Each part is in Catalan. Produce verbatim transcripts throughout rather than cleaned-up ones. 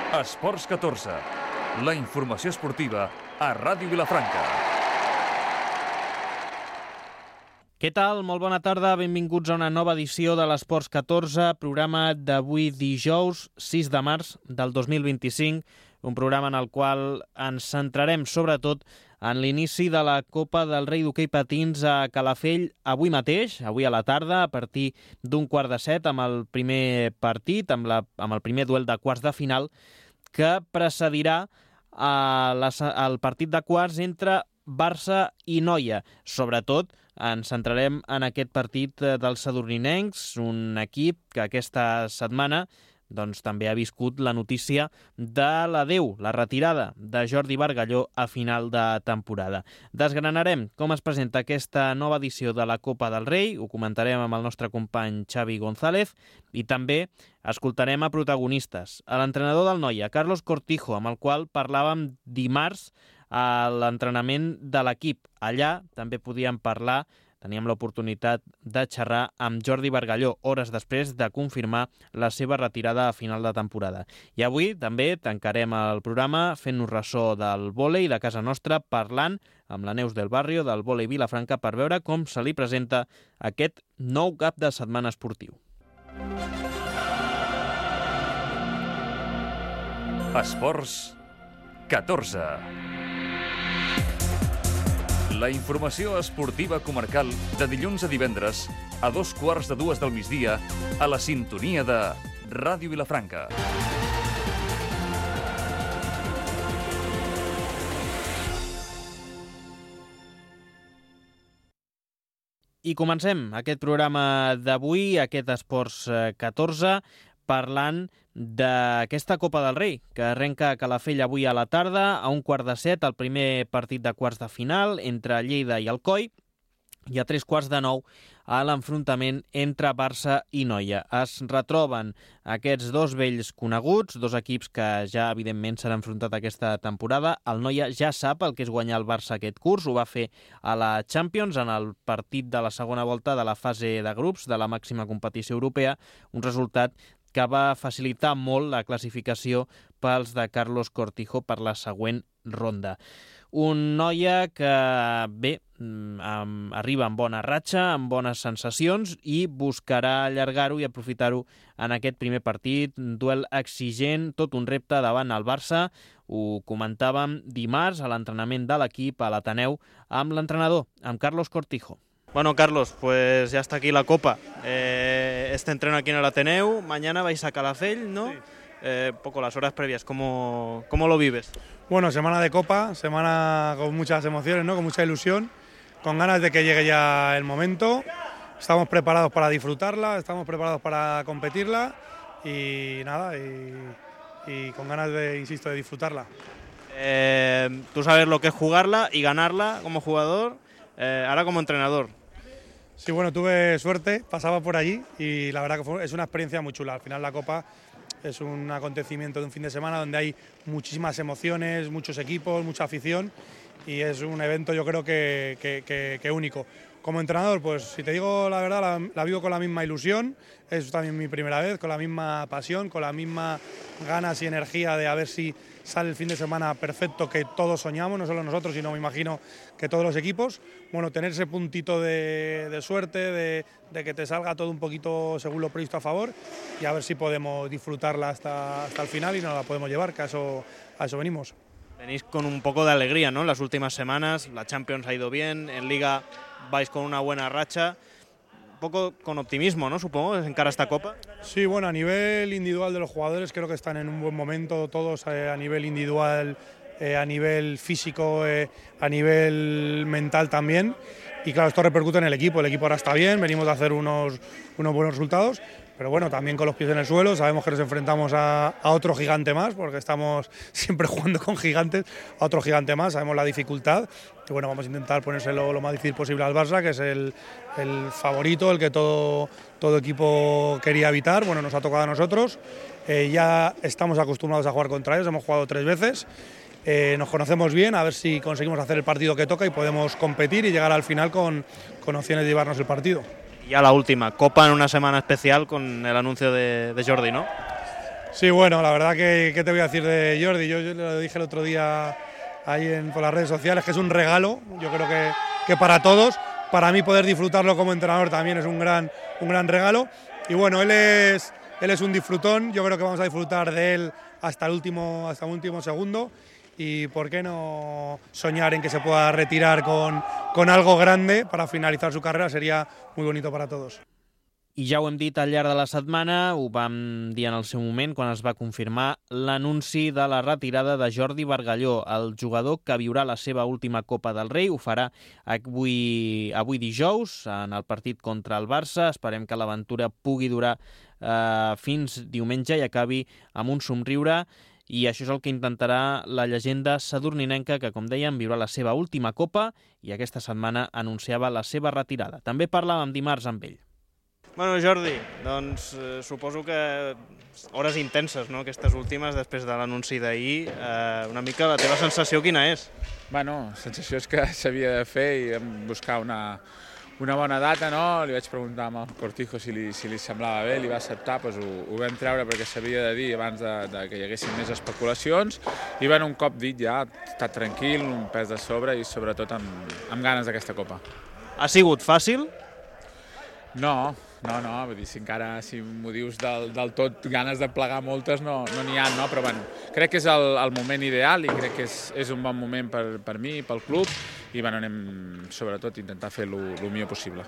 Esports catorze, la informació esportiva a Ràdio Vilafranca. Què tal? Molt bona tarda, benvinguts a una nova edició de l'Esports catorze, programa d'avui dijous, sis de març del dos mil vint-i-cinc, un programa en el qual ens centrarem sobretot en l'inici de la Copa del Rei d'Hoquei Patins a Calafell avui mateix, avui a la tarda, a partir d'un quart de set, amb el primer partit, amb, la, amb el primer duel de quarts de final, que precedirà a la, el partit de quarts entre Barça i Noia. Sobretot ens centrarem en aquest partit dels sadurninencs, un equip que aquesta setmana doncs, també ha viscut la notícia de l'adeu, la retirada de Jordi Bargalló a final de temporada. Desgranarem com es presenta aquesta nova edició de la Copa del Rei, ho comentarem amb el nostre company Xavi González i també escoltarem a protagonistes, a l'entrenador del Noia, Carlos Cortijo, amb el qual parlàvem dimarts a l'entrenament de l'equip. Allà també podíem parlar, teníem l'oportunitat de xerrar amb Jordi Bargalló, hores després de confirmar la seva retirada a final de temporada. I avui també tancarem el programa fent-nos ressò del vòlei de casa nostra, parlant amb la Neus del Barrio del vòlei Vilafranca per veure com se li presenta aquest nou cap de setmana esportiu. Esports catorze. La informació esportiva comarcal de dilluns a divendres a dos quarts de dues del migdia a la sintonia de Ràdio Vilafranca. I comencem aquest programa d'avui, aquest Esports catorze, parlant d'aquesta Copa del Rei, que arrenca a Calafell avui a la tarda, a un quart de set, el primer partit de quarts de final entre Lleida i Alcoi, i a tres quarts de nou a l'enfrontament entre Barça i Noia. Es retroben aquests dos vells coneguts, dos equips que ja evidentment s'han enfrontat aquesta temporada. El Noia ja sap el que és guanyar el Barça aquest curs, ho va fer a la Champions en el partit de la segona volta de la fase de grups de la màxima competició europea, un resultat que va facilitar molt la classificació pels de Carlos Cortijo per la següent ronda. Un Noia que, bé, arriba amb bona ratxa, amb bones sensacions i buscarà allargar-ho i aprofitar-ho en aquest primer partit. Un duel exigent, tot un repte davant el Barça. Ho comentàvem dimarts a l'entrenament de l'equip a l'Ateneu amb l'entrenador, amb Carlos Cortijo. Bueno, Carlos, pues ya está aquí la Copa. Eh, este entreno aquí en el Ateneu, mañana vais a Calafell, ¿no? Sí. Eh, poco las horas previas, ¿cómo, ¿cómo lo vives? Bueno, semana de Copa, semana con muchas emociones, ¿no? Con mucha ilusión, con ganas de que llegue ya el momento. Estamos preparados para disfrutarla, estamos preparados para competirla y nada, y, y con ganas de, insisto, de disfrutarla. Eh, tú sabes lo que es jugarla y ganarla como jugador, eh, ahora como entrenador. Sí, bueno, tuve suerte, pasaba por allí y la verdad que fue, es una experiencia muy chula. Al final la Copa es un acontecimiento de un fin de semana donde hay muchísimas emociones, muchos equipos, mucha afición y es un evento yo creo que, que, que, que único. Como entrenador, pues si te digo la verdad, la, la vivo con la misma ilusión, es también mi primera vez, con la misma pasión, con la misma ganas y energía de a ver si sale el fin de semana perfecto que todos soñamos, no solo nosotros, sino me imagino que todos los equipos. Bueno, tener ese puntito de, de suerte, de, de que te salga todo un poquito según lo previsto a favor y a ver si podemos disfrutarla hasta, hasta el final y nos la podemos llevar, que a eso, a eso venimos. Venís con un poco de alegría, ¿no? Las últimas semanas, la Champions ha ido bien, en Liga vais con una buena racha, un poco con optimismo, ¿no? Supongo, en cara a esta Copa. Sí, bueno, a nivel individual de los jugadores creo que están en un buen momento, todos eh, a nivel individual, eh, a nivel físico, eh, a nivel mental también. Y claro, esto repercute en el equipo, el equipo ahora está bien, venimos de hacer unos, unos buenos resultados, pero bueno, también con los pies en el suelo, sabemos que nos enfrentamos a, a otro gigante más, porque estamos siempre jugando con gigantes, a otro gigante más, sabemos la dificultad, y bueno, vamos a intentar ponérselo lo más difícil posible al Barça, que es el, el favorito, el que todo, todo equipo quería evitar, bueno, nos ha tocado a nosotros, eh, ya estamos acostumbrados a jugar contra ellos, hemos jugado tres veces, eh, nos conocemos bien, a ver si conseguimos hacer el partido que toca y podemos competir y llegar al final con, con opciones de llevarnos el partido. Ya la última, Copa en una semana especial con el anuncio de, de Jordi, ¿no? Sí, bueno, la verdad que, ¿qué te voy a decir de Jordi? Yo, yo lo dije el otro día ahí en, por las redes sociales, que es un regalo, yo creo que, que para todos, para mí poder disfrutarlo como entrenador también es un gran, un gran regalo. Y bueno, él es, él es un disfrutón, yo creo que vamos a disfrutar de él hasta el último, hasta el último segundo. Y por qué no soñar en que se pueda retirar con, con algo grande para finalizar su carrera, sería muy bonito para todos. I ja ho hem dit al llarg de la setmana, ho vam dir en el seu moment quan es va confirmar l'anunci de la retirada de Jordi Bargalló, el jugador que viurà la seva última Copa del Rei. Ho farà avui, avui dijous en el partit contra el Barça. Esperem que l'aventura pugui durar eh, fins diumenge i acabi amb un somriure. I això és el que intentarà la llegenda sadurninenca, que, com dèiem, viurà la seva última Copa i aquesta setmana anunciava la seva retirada. També parlàvem dimarts amb ell. Bueno, Jordi, doncs eh, suposo que hores intenses, no?, aquestes últimes, després de l'anunci d'ahir. Eh, una mica la teva sensació quina és? Bueno, la sensació és que s'havia de fer i vam buscar una, una bona data, no? Li vaig preguntar al Cortijo si li, si li semblava bé, li va acceptar, doncs ho, ho vam treure perquè s'havia de dir abans de, de que hi haguessin més especulacions. I bueno, un cop dit ja, estat tranquil, un pes de sobre i sobretot amb, amb ganes d'aquesta Copa. Ha sigut fàcil? No, no, no, vull dir, si encara, si m'ho dius del, del tot, ganes de plegar moltes no n'hi no ha, no? Però bueno, crec que és el, el moment ideal i crec que és, és un bon moment per, per mi, pel club, i bueno, anem sobretot a intentar fer el millor possible.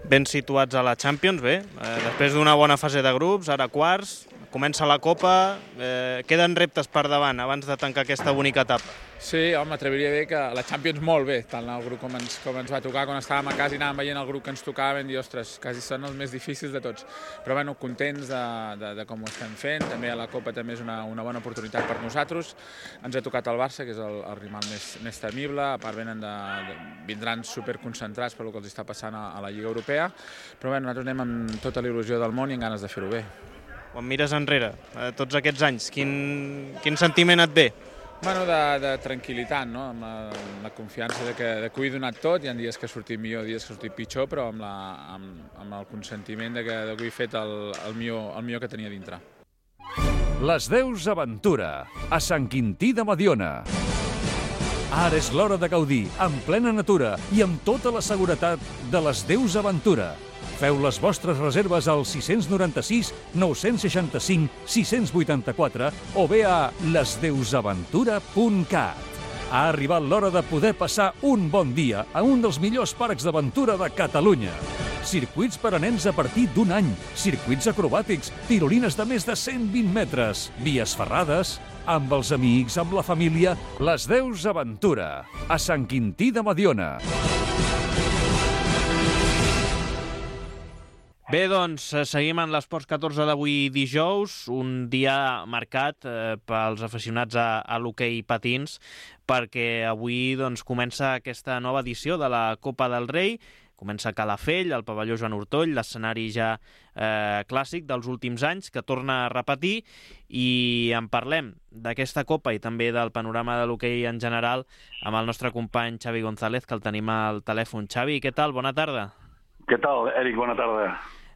Ben situats a la Champions, bé, eh, després d'una bona fase de grups, ara quarts, comença la Copa, eh, queden reptes per davant abans de tancar aquesta bonica etapa. Sí, home, m'atreviria a dir que la Champions molt bé, tant el grup com ens, com ens va tocar, quan estàvem a casa i anàvem veient el grup que ens tocava, vam dir, ostres, quasi són els més difícils de tots. Però bueno, contents de, de, de com ho estem fent, també a la Copa també és una, una bona oportunitat per nosaltres. Ens ha tocat el Barça, que és el, el rival més, més temible, a part venen de, de, vindran superconcentrats per el que els està passant a, a la Lliga Europea, però bueno, nosaltres anem amb tota la il·lusió del món i amb ganes de fer-ho bé. Quan mires enrere, eh, tots aquests anys, quin, quin sentiment et ve? Bueno, de, de tranquil·litat, no? Amb la, amb la confiança de que, de que ho he donat tot. Hi ha dies que ha sortit millor, dies que ha sortit pitjor, però amb, la, amb, amb el consentiment de que, de que ho he fet el, el, millor, el millor que tenia dintre. Les Deus Aventura, a Sant Quintí de Mediona. Ara és l'hora de gaudir, en plena natura i amb tota la seguretat de les Deus Aventura. Feu les vostres reserves al sis nou sis, nou sis cinc, sis vuit quatre o bé a les deus aventura punt cat. Ha arribat l'hora de poder passar un bon dia a un dels millors parcs d'aventura de Catalunya. Circuits per a nens a partir d'un any, circuits acrobàtics, tirolines de més de cent vint metres, vies ferrades, amb els amics, amb la família, les Deus Aventura, a Sant Quintí de Mediona. Bé, doncs, seguim en l'Esports catorze d'avui dijous, un dia marcat eh, pels aficionats a, a l'hoquei patins, perquè avui doncs, comença aquesta nova edició de la Copa del Rei. Comença a Calafell, al pavelló Joan Ortoll, l'escenari ja eh, clàssic dels últims anys, que torna a repetir, i en parlem d'aquesta Copa i també del panorama de l'hoquei en general amb el nostre company Xavi González, que el tenim al telèfon. Xavi, què tal? Bona tarda. Què tal, Eric? Bona tarda.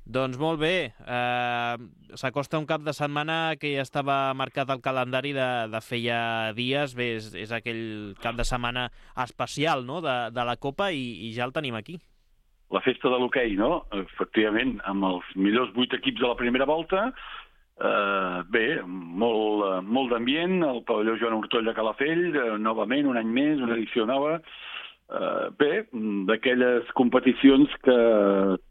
Doncs molt bé, eh, s'acosta un cap de setmana que ja estava marcat al calendari de, de feia dies. Bé, és, és aquell cap de setmana especial, no?, de, de la Copa i, i ja el tenim aquí. La festa de l'hoquei, no? Efectivament, amb els millors vuit equips de la primera volta. Eh, bé, molt, molt d'ambient, el pavelló Joan Ortoll de Calafell, eh, novament, un any més, una edició nova. Uh, bé, d'aquelles competicions que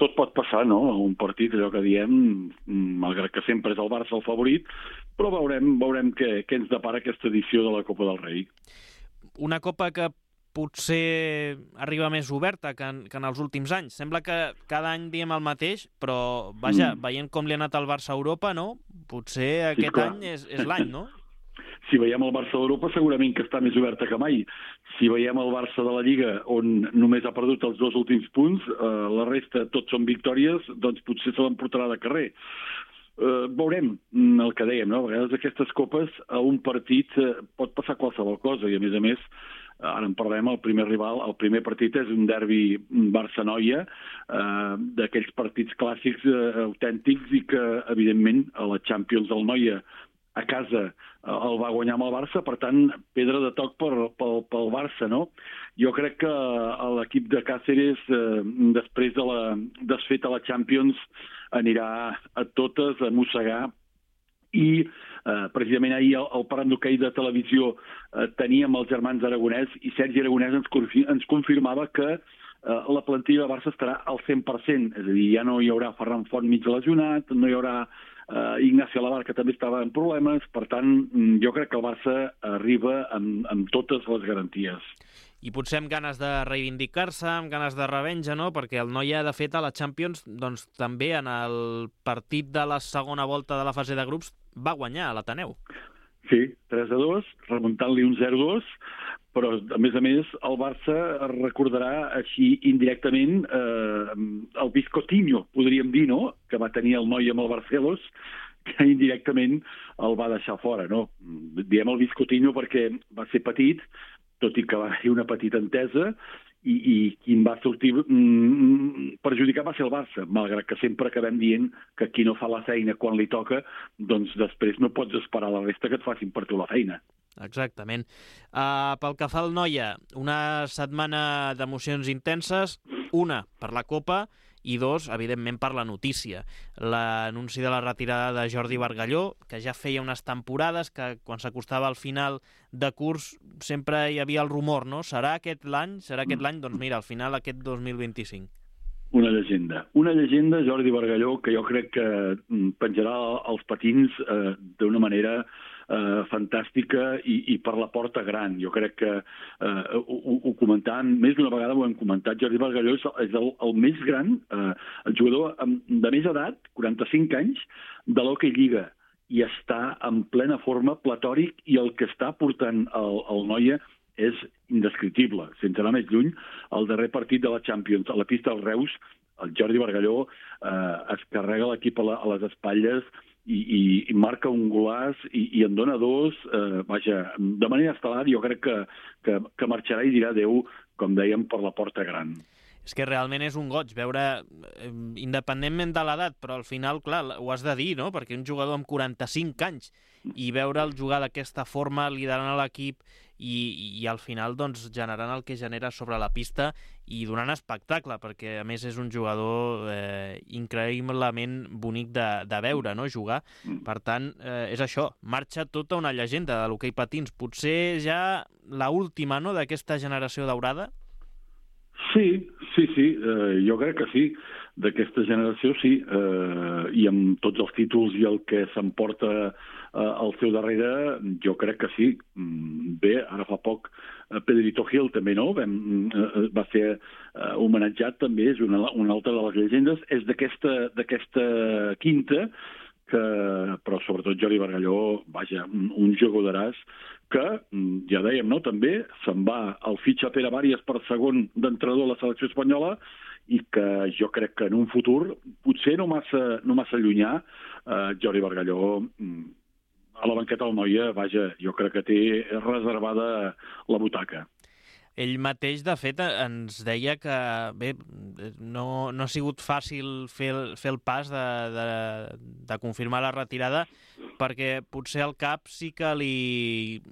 tot pot passar, no? Un partit, allò que diem, malgrat que sempre és el Barça el favorit, però veurem, veurem què, què ens depara aquesta edició de la Copa del Rei. Una Copa que potser arriba més oberta que en, que en els últims anys. Sembla que cada any diem el mateix, però vaja, mm. veient com li ha anat al Barça a Europa, no? Potser aquest sí, any és, és l'any, no? Si veiem el Barça d'Europa, segurament que està més oberta que mai. Si veiem el Barça de la Lliga, on només ha perdut els dos últims punts, eh, la resta tots són victòries, doncs potser se l'emportarà de carrer. Eh, veurem el que dèiem, no? A vegades aquestes copes, a un partit eh, pot passar qualsevol cosa, i a més a més, ara en parlem, el primer rival, el primer partit és un derbi Barça-Noia, eh, d'aquells partits clàssics eh, autèntics i que, evidentment, a la Champions del Noia a casa eh, el va guanyar amb el Barça, per tant, pedra de toc per, pel, pel Barça, no? Jo crec que l'equip de Cáceres, eh, després de la desfeta a la Champions, anirà a totes a mossegar i eh, precisament ahir el, el parlant d'hoquei de televisió eh, teníem els germans Aragonès i Sergi Aragonès ens, ens confirmava que eh, la plantilla de Barça estarà al cent per cent, és a dir, ja no hi haurà Ferran Font mig lesionat, no hi haurà eh, Ignacio Alabar, que també estava en problemes, per tant, jo crec que el Barça arriba amb, amb totes les garanties. I potser amb ganes de reivindicar-se, amb ganes de revenja, no? Perquè el Noia, de fet, a la Champions, doncs també en el partit de la segona volta de la fase de grups va guanyar a l'Ateneu. Sí, tres a dos, remuntant-li un zero a dos, però, a més a més, el Barça recordarà així indirectament eh, el Viscotinho, podríem dir, no?, que va tenir el Noia amb el Barcelos, que indirectament el va deixar fora, no? Diem el Viscotinho perquè va ser petit, tot i que va haver una petita entesa, i, i qui va sortir mm, perjudicat va ser el Barça, malgrat que sempre acabem dient que qui no fa la feina quan li toca, doncs després no pots esperar la resta que et facin per tu la feina. Exactament. Uh, pel que fa al Noia, una setmana d'emocions intenses, una per la Copa i dos, evidentment, per la notícia. L'anunci de la retirada de Jordi Bargalló, que ja feia unes temporades que quan s'acostava al final de curs sempre hi havia el rumor, no? Serà aquest l'any? Serà aquest l'any? Doncs mira, al final aquest dos mil vint-i-cinc. Una llegenda. Una llegenda, Jordi Bargalló, que jo crec que penjarà els patins eh, d'una manera eh, fantàstica i, i per la porta gran. Jo crec que eh, ho, ho comentàvem, més d'una vegada ho hem comentat, Jordi Bargalló és, és el, el més gran, eh, el jugador de més edat, quaranta-cinc anys, de l'Hockey Lliga, i està en plena forma, platòric, i el que està portant el, el Noia és indescriptible. Sense anar més lluny, el darrer partit de la Champions a la pista del Reus, el Jordi Bargalló eh, es carrega l'equip a, la, a les espatlles i, i, i marca un golaç i, i en dona dos. Eh, vaja, de manera estel·lar, jo crec que, que, que marxarà i dirà adéu, com dèiem, per la porta gran. És que realment és un goig veure, eh, independentment de l'edat, però al final, clar, ho has de dir, no? Perquè un jugador amb quaranta-cinc anys i veure'l jugar d'aquesta forma, liderant l'equip i, i al final doncs, generant el que genera sobre la pista i donant espectacle, perquè a més és un jugador eh, increïblement bonic de, de veure, no?, jugar. Per tant, eh, és això, marxa tota una llegenda de l'hoquei patins. Potser ja l'última, no?, d'aquesta generació daurada? Sí, sí, sí, eh, jo crec que sí, d'aquesta generació sí, eh, i amb tots els títols i el que s'emporta eh, al seu darrere, jo crec que sí. Bé, ara fa poc eh, Pedrito Gil també, no? Vam, eh, va ser eh, homenatjat també, és una, una altra de les llegendes, és d'aquesta d'aquesta quinta, que, però sobretot Jordi Bargalló, vaja, un, un jugadoràs que, ja dèiem, no?, també se'n va al fitxa Pere Bàries per segon d'entrenador a la selecció espanyola i que jo crec que en un futur, potser no massa, no massa llunyà, eh, Jordi Bargalló a la banqueta del Noia, vaja, jo crec que té reservada la butaca. Ell mateix, de fet, ens deia que bé, no, no ha sigut fàcil fer el, fer el pas de, de, de confirmar la retirada perquè potser el cap sí que li,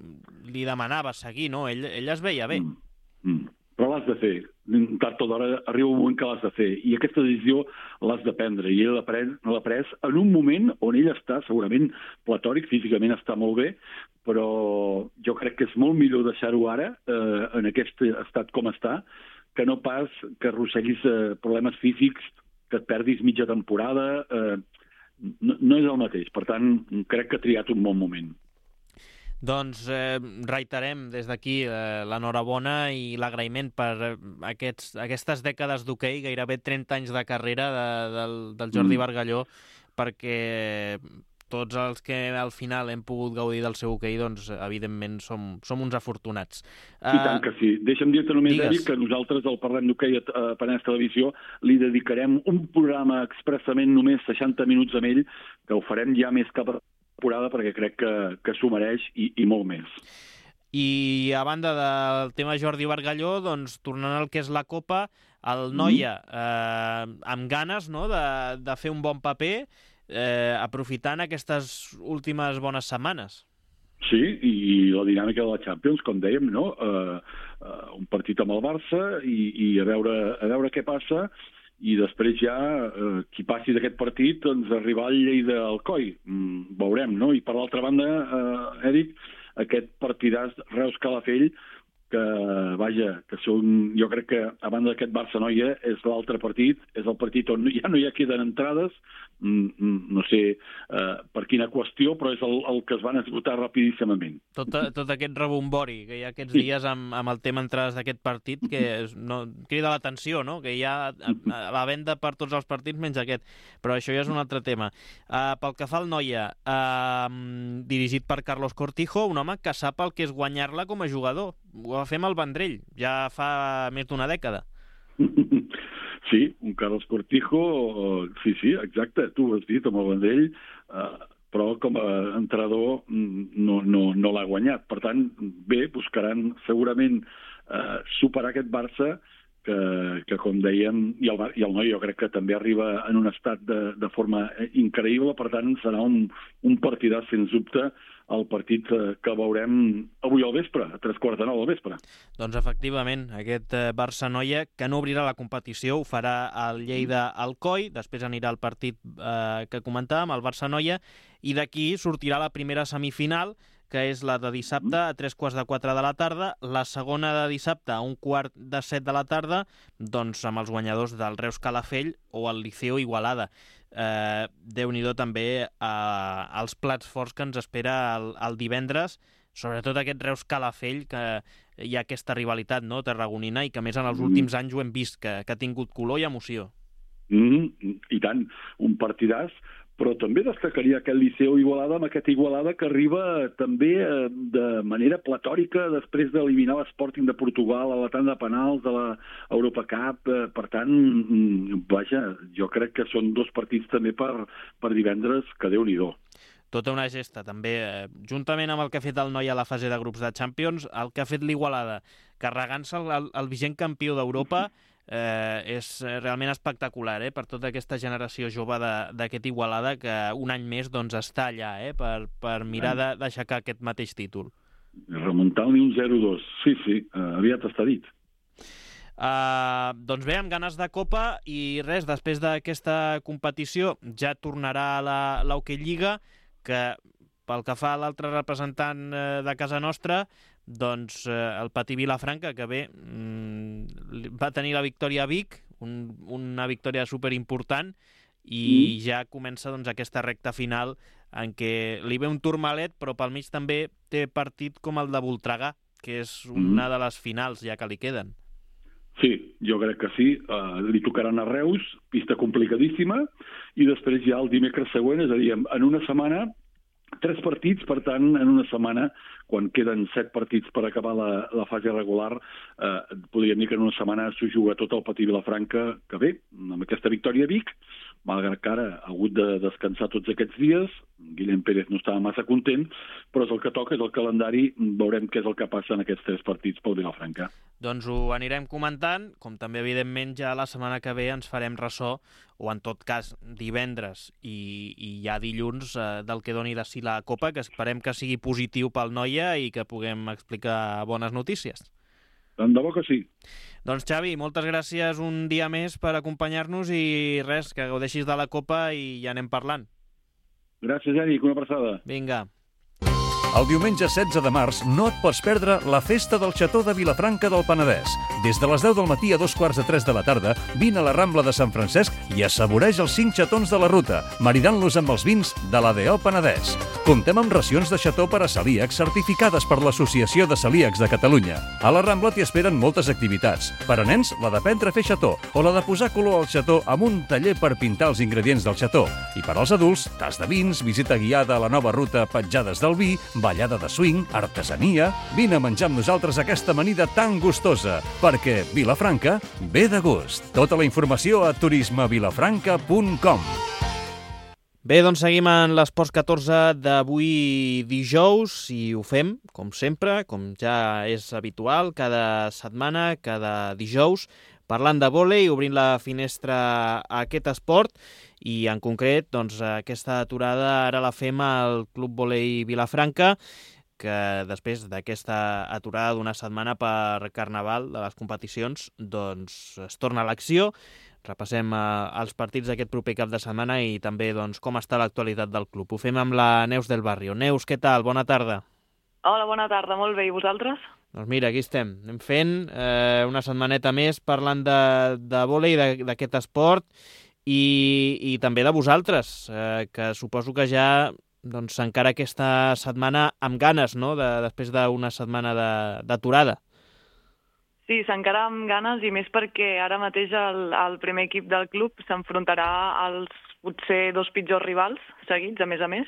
li demanava seguir, no? Ell, ell es veia bé. Mm, mm. Però l'has de fer. Tard o d'hora arriba un moment que l'has de fer. I aquesta decisió l'has de prendre. I ell l'ha pres, l'ha pres en un moment on ell està segurament platòric, físicament està molt bé, però jo crec que és molt millor deixar-ho ara, eh, en aquest estat com està, que no pas que arrosseguis eh, problemes físics, que et perdis mitja temporada. Eh, no, no és el mateix. Per tant, crec que ha triat un bon moment. Doncs eh, reiterem des d'aquí eh, l'enhorabona i l'agraïment per eh, aquests, aquestes dècades d'hoquei, gairebé trenta anys de carrera de, del, del Jordi mm. Bargalló, perquè tots els que al final hem pogut gaudir del seu hoquei, doncs, evidentment, som, som uns afortunats. I uh, tant que sí. Deixa'm dir-te només, Eric, que nosaltres, al Parlem d'Hoquei a Penedès Televisió, li dedicarem un programa expressament només seixanta minuts amb ell, que ho farem ja més cap a temporada perquè crec que, que s'ho mereix i, i molt més. I a banda del tema Jordi Bargalló, doncs tornant al que és la Copa, el Noia eh, amb ganes, no?, de, de fer un bon paper, eh, aprofitant aquestes últimes bones setmanes. Sí, i la dinàmica de la Champions, com dèiem, no? Uh, uh, un partit amb el Barça i, i a, veure, a veure què passa, i després ja uh, qui passi d'aquest partit, doncs arribar al Lleida Alcoi. Mm, veurem, no? I per l'altra banda, uh, Eric, aquest partidàs Reus-Calafell, que, vaja, que són, jo crec que a banda d'aquest Barça-Noia és l'altre partit, és el partit on ja no hi ha queden entrades, mm, no sé uh, per quina qüestió, però és el, el que es van esgotar rapidíssimament. Tot, tot aquest rebombori que hi ha aquests dies amb, amb el tema entrades d'aquest partit, que és, no, crida l'atenció, no?, que hi ha a, a la venda per tots els partits menys aquest, però això ja és un altre tema. Uh, pel que fa al Noia, uh, dirigit per Carlos Cortijo, un home que sap el que és guanyar-la com a jugador. Ho va fer amb el Vendrell, ja fa més d'una dècada. Sí, un Carlos Cortijo, sí, sí, exacte, tu ho has dit, amb el Vendrell, eh, però com a entrenador no, no, no l'ha guanyat. Per tant, bé, buscaran segurament eh, superar aquest Barça, que, que com dèiem, i el, i el Noi jo crec que també arriba en un estat de, de forma increïble, per tant serà un, un partidàs, sens dubte, el partit que veurem avui al vespre, a tres quarts de nou al vespre. Doncs efectivament, aquest Barça-Noia, que no obrirà la competició, ho farà al Lleida Alcoi, després anirà al partit eh, que comentàvem, el Barça-Noia, i d'aquí sortirà la primera semifinal, que és la de dissabte a tres quarts de quatre de la tarda, la segona de dissabte a un quart de set de la tarda, doncs amb els guanyadors del Reus Calafell o el Liceo Igualada. Eh, Déu-n'hi-do també eh, els plats forts que ens espera el, el divendres, sobretot aquest Reus Calafell, que hi ha aquesta rivalitat, no?, tarragonina, i que més en els últims anys ho hem vist, que, que ha tingut color i emoció. Mm, I tant, un partidàs, però també destacaria aquest Liceo Igualada, amb aquest Igualada que arriba també eh, de manera platòrica després d'eliminar l'Sporting de Portugal a la tanda de penals de la Europacup. Eh, per tant, mm, vaja, jo crec que són dos partits també per, per divendres, que Déu-n'hi-do. Tota una gesta, també, eh, juntament amb el que ha fet el Noi a la fase de grups de Champions, el que ha fet l'Igualada, carregant-se el, el, el vigent campió d'Europa, eh, és realment espectacular, eh, per tota aquesta generació jove d'aquest Igualada, que un any més doncs, està allà, eh, per, per mirar d'aixecar aquest mateix títol. Remuntar-li un zero dos, sí, sí, eh, aviat està dit. Uh, doncs bé, amb ganes de Copa, i res, després d'aquesta competició ja tornarà a la, l'Hockey Lliga, que pel que fa a l'altre representant eh, de casa nostra, doncs eh, el Patí Vilafranca, que bé, mm, va tenir la victòria a Vic, un, una victòria superimportant, i mm. ja comença doncs, aquesta recta final en què li ve un turmalet, però pel mig també té partit com el de Voltregà, que és una mm. de les finals ja que li queden. Sí, jo crec que sí. Uh, li tocaran a Reus, pista complicadíssima, i després ja el dimecres següent, és a dir, en una setmana, tres partits, per tant, en una setmana, quan queden set partits per acabar la, la fase regular, eh, podríem dir que en una setmana s'ho juga tot el Patí Vilafranca, que bé, amb aquesta victòria a Vic, malgrat que ara ha hagut de descansar tots aquests dies, Guillem Pérez no estava massa content, però és el que toca, és el calendari, veurem què és el que passa en aquests tres partits pel Vilafranca. Doncs ho anirem comentant, com també evidentment ja la setmana que ve ens farem ressò, o en tot cas divendres i, i ja dilluns, eh, del que doni de si la Copa, que esperem que sigui positiu pel Noia i que puguem explicar bones notícies. Tant de bo que sí. Doncs Xavi, moltes gràcies un dia més per acompanyar-nos i res, que gaudeixis de la Copa i ja anem parlant. Gràcies, Eric, una abraçada. Vinga. El diumenge setze de març no et pots perdre la festa del Xató de Vilafranca del Penedès. Des de les deu del matí a dos quarts de tres de la tarda, vine a la Rambla de Sant Francesc i assaboreix els cinc xatons de la ruta, maridant-los amb els vins de l'A D O Penedès. Comptem amb racions de xató per a celíacs certificades per l'Associació de Celíacs de Catalunya. A la Rambla t'hi esperen moltes activitats. Per a nens, la d'aprendre a fer xató o la de posar color al xató amb un taller per pintar els ingredients del xató. I per als adults, tas de vins, visita guiada a la nova ruta Petjades del Vi, ballada de swing, artesania... Vine a menjar amb nosaltres aquesta amanida tan gustosa, perquè Vilafranca ve de gust. Tota la informació a turisme vilafranca punt com. Bé, doncs seguim en l'Esports catorze d'avui dijous i ho fem, com sempre, com ja és habitual, cada setmana, cada dijous, parlant de vòlei, obrint la finestra a aquest esport i en concret doncs, aquesta aturada ara la fem al Club Vòlei Vilafranca, que després d'aquesta aturada d'una setmana per Carnaval de les competicions doncs es torna a l'acció. Repassem eh, els partits d'aquest proper cap de setmana i també doncs, com està l'actualitat del club. Ho fem amb la Neus del Barrio. Neus, què tal? Bona tarda. Hola, bona tarda. Molt bé. I vosaltres? Doncs mira, aquí estem. Anem fent eh, una setmaneta més parlant de, de vòlei, d'aquest esport i, i també de vosaltres, eh, que suposo que ja doncs, encara aquesta setmana amb ganes, no?, de, després d'una setmana d'aturada. Sí, s'encara amb ganes i més perquè ara mateix el, el primer equip del club s'enfrontarà als potser dos pitjors rivals seguits, a més a més,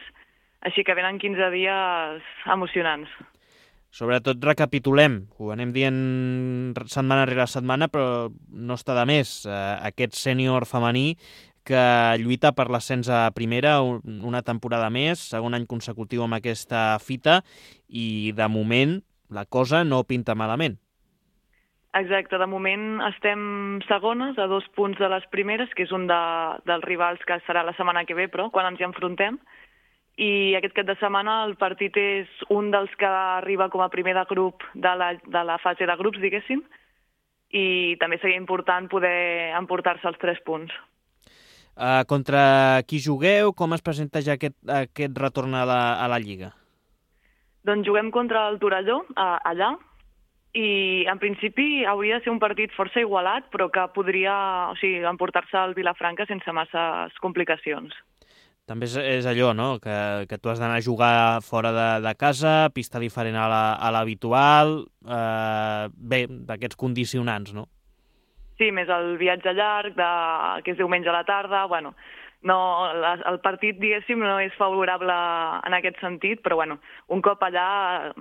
així que venen quinze dies emocionants. Sobretot recapitulem, ho anem dient setmana rere setmana, però no està de més. Eh, aquest sènior femení que lluita per l'ascens a primera una temporada més, segon any consecutiu amb aquesta fita, i de moment la cosa no pinta malament. Exacte, de moment estem segones a dos punts de les primeres, que és un de, dels rivals que serà la setmana que ve, però quan ens hi enfrontem. I aquest cap de setmana el partit és un dels que arriba com a primer de grup de la, de la fase de grups, diguéssim, i també seria important poder emportar-se els tres punts. Uh, contra qui jugueu? Com es presenta ja aquest, aquest retorn a la, a la Lliga? Doncs juguem contra el Torelló, uh, allà, i en principi hauria de ser un partit força igualat, però que podria, o sigui, emportar-se al Vilafranca sense masses complicacions. També és, és allò, no?, que, que tu has d'anar a jugar fora de, de casa, pista diferent a la, a l'habitual, eh, bé, d'aquests condicionants, no? Sí, més el viatge llarg, de, que és diumenge a la tarda, bueno, no, la, el partit, diguéssim, no és favorable en aquest sentit, però bueno, un cop allà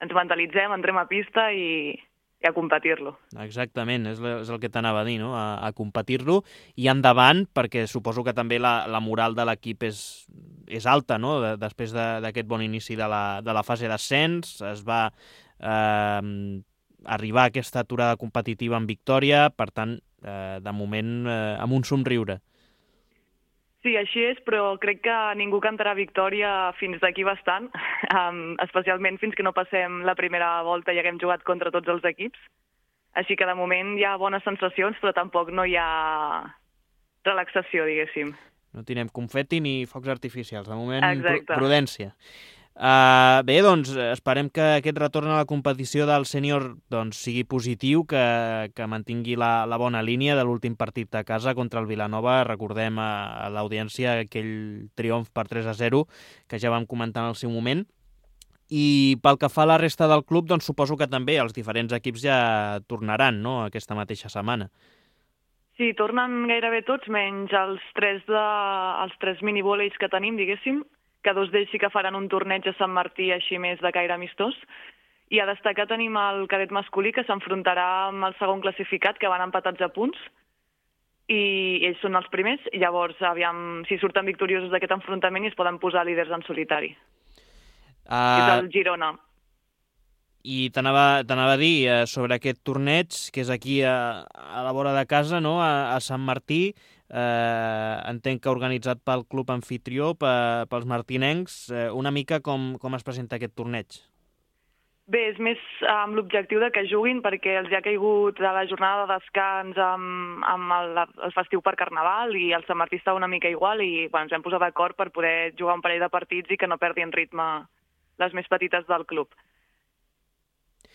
ens mentalitzem, entrem a pista i, i a competir-lo. Exactament, és, és el que t'anava a dir, no?, a, a competir-lo i endavant, perquè suposo que també la, la moral de l'equip és, és alta, no?, de, després d'aquest bon inici de la, de la fase d'ascens, es va eh, arribar a aquesta aturada competitiva en victòria, per tant, eh, de moment, eh, amb un somriure. Sí, així és, però crec que ningú cantarà victòria fins d'aquí bastant, um, especialment fins que no passem la primera volta i haguem jugat contra tots els equips. Així que de moment hi ha bones sensacions, però tampoc no hi ha relaxació, diguéssim. No tindrem confeti ni focs artificials, de moment Exacte. Prudència. Uh, bé, doncs esperem que aquest retorn a la competició del sènior doncs, sigui positiu, que, que mantingui la, la bona línia de l'últim partit a casa contra el Vilanova. Recordem a, a l'audiència aquell triomf per tres a zero que ja vam comentar en el seu moment. I pel que fa a la resta del club, doncs suposo que també els diferents equips ja tornaran, no?, aquesta mateixa setmana. Sí, tornen gairebé tots, menys els tres, de, els tres minivòleis que tenim, diguéssim, que dos d'ells sí que faran un torneig a Sant Martí així més de caire amistós. I a destacar tenim el cadet masculí, que s'enfrontarà amb el segon classificat, que van empatats a punts, i ells són els primers. Llavors, aviam si surten victoriosos d'aquest enfrontament i es poden posar líders en solitari. Uh... És el Girona. I t'anava a dir eh, sobre aquest torneig, que és aquí a, a la vora de casa, no?, a, a Sant Martí, eh, entenc que organitzat pel club anfitrió, pe, pels martinencs, eh, una mica com, com es presenta aquest torneig? Bé, és més amb l'objectiu de que juguin, perquè els ha caigut a la jornada de descans amb, amb el, el festiu per Carnaval, i el Sant Martí està una mica igual, i bueno, ens hem posat d'acord per poder jugar un parell de partits i que no perdin ritme les més petites del club.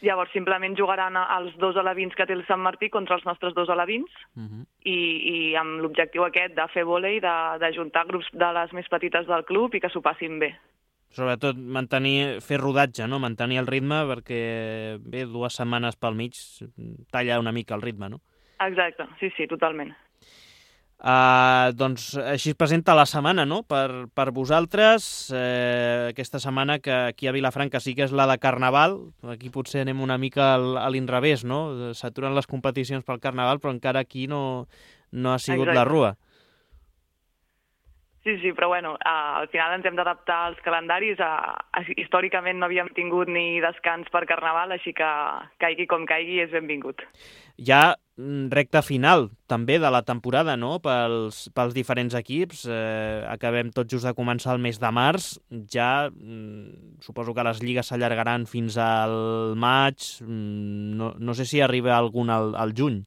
Llavors, simplement jugaran els dos alevins que té el Sant Martí contra els nostres dos alevins, uh-huh. i, i amb l'objectiu aquest de fer vòlei, d'ajuntar grups de les més petites del club i que s'ho passin bé. Sobretot mantenir, fer rodatge, no?, mantenir el ritme, perquè bé, dues setmanes pel mig talla una mica el ritme, no? Exacte, sí, sí, totalment. Uh, doncs així es presenta la setmana, no?, per, per vosaltres, eh, aquesta setmana que aquí a Vilafranca sí que és la de Carnaval. Aquí potser anem una mica a l'inrevés, no?, s'aturen les competicions pel Carnaval, però encara aquí no, no ha sigut Exacte. La rua. Sí, sí, però bueno, uh, al final ens hem d'adaptar als calendaris. Uh, històricament no havíem tingut ni descans per Carnaval, així que caigui com caigui és benvingut. Hi ha recta final també de la temporada, no?, pels, pels diferents equips. Eh, acabem tot just de començar el mes de març. Ja mm, suposo que les lligues s'allargaran fins al maig. Mm, no, no sé si arriba algun al, al juny.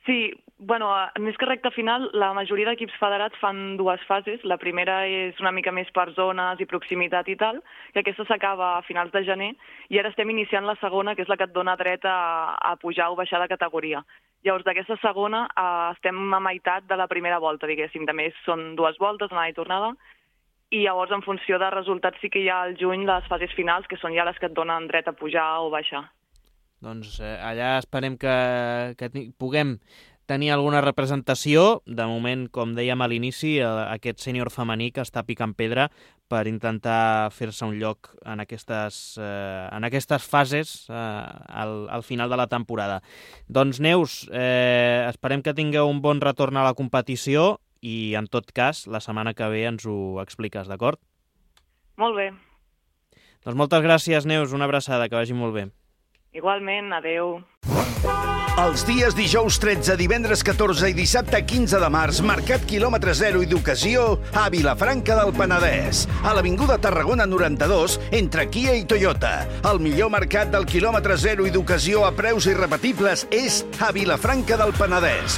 Sí, bueno, més que recta final, la majoria d'equips federats fan dues fases. La primera és una mica més per zones i proximitat i tal, que aquesta s'acaba a finals de gener, i ara estem iniciant la segona, que és la que et dona dret a, a pujar o baixar de categoria. Llavors, d'aquesta segona eh, estem a meitat de la primera volta, diguéssim. També són dues voltes, anada i tornada, i llavors, en funció de resultats, sí que hi ha al juny les fases finals, que són ja les que et donen dret a pujar o baixar. Doncs eh, allà esperem que, que puguem tenir alguna representació. De moment, com dèiem a l'inici, aquest sènior femení que està picant pedra per intentar fer-se un lloc en aquestes, eh, en aquestes fases eh, al, al final de la temporada. Doncs, Neus, eh, esperem que tingueu un bon retorn a la competició i, en tot cas, la setmana que ve ens ho expliques, d'acord? Molt bé. Doncs moltes gràcies, Neus. Una abraçada, que vagi molt bé. Igualment, adeu. Els dies dijous tretze, divendres catorze i dissabte quinze de març, Mercat quilòmetre zero i d'ocasió a Vilafranca del Penedès. A l'Avinguda Tarragona noranta-dos, entre Kia i Toyota. El millor mercat del quilòmetre zero i d'ocasió a preus irrepetibles és a Vilafranca del Penedès.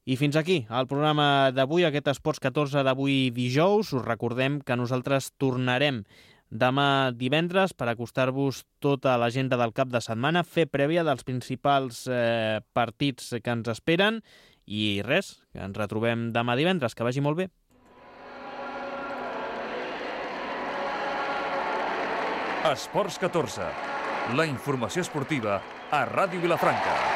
I fins aquí el programa d'avui, aquest Esports catorze d'avui dijous. Us recordem que nosaltres tornarem demà divendres per acostar-vos tota l'agenda del cap de setmana, fer prèvia dels principals eh, partits que ens esperen i res, que ens retrobem demà divendres. Que vagi molt bé. Esports catorze, la informació esportiva a Ràdio Vilafranca.